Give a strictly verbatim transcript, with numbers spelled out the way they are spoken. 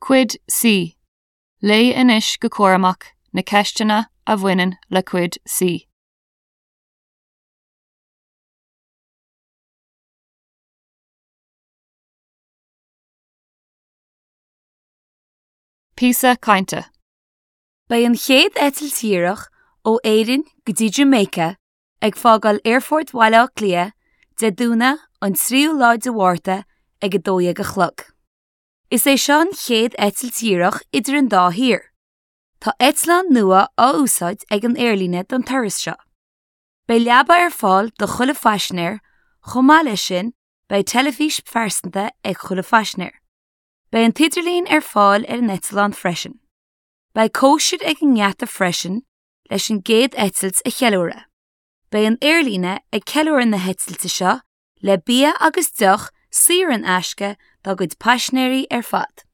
Cuid C. Léigh anois go cúramach na ceisteanna a bhaineann le Cuid C. Píosa cainte. Beidh an chéad eitilt dhíreach ó Éirinn go dtí Jamaica ag fágáil Aerfort Bhaile Átha Cliath Dé Domhnaigh an tríú lá de Mhárta ag a dó dhéag a chlog. Is é seo an chéad eitilt dhíreach idir an dá thír. Tá eitleán nua á úsáid ag an aerlíne don turas seo. Beidh leaba ar fáil do chuile phaisinéir, chomh maith leis sin beidh teilifís phearsanta ag chuile phaisinéir. Beidh an t-idirlíon ar fáil ar an eitleán freisin. Beidh cóisir ag an ngeata freisin leis an gcéad eitilt a cheiliúradh. Beidh an aerlíne ag ceiliúradh na heitilte seo le bia agus deoch saor in aisce dá gcuid paisinéirí ar fad.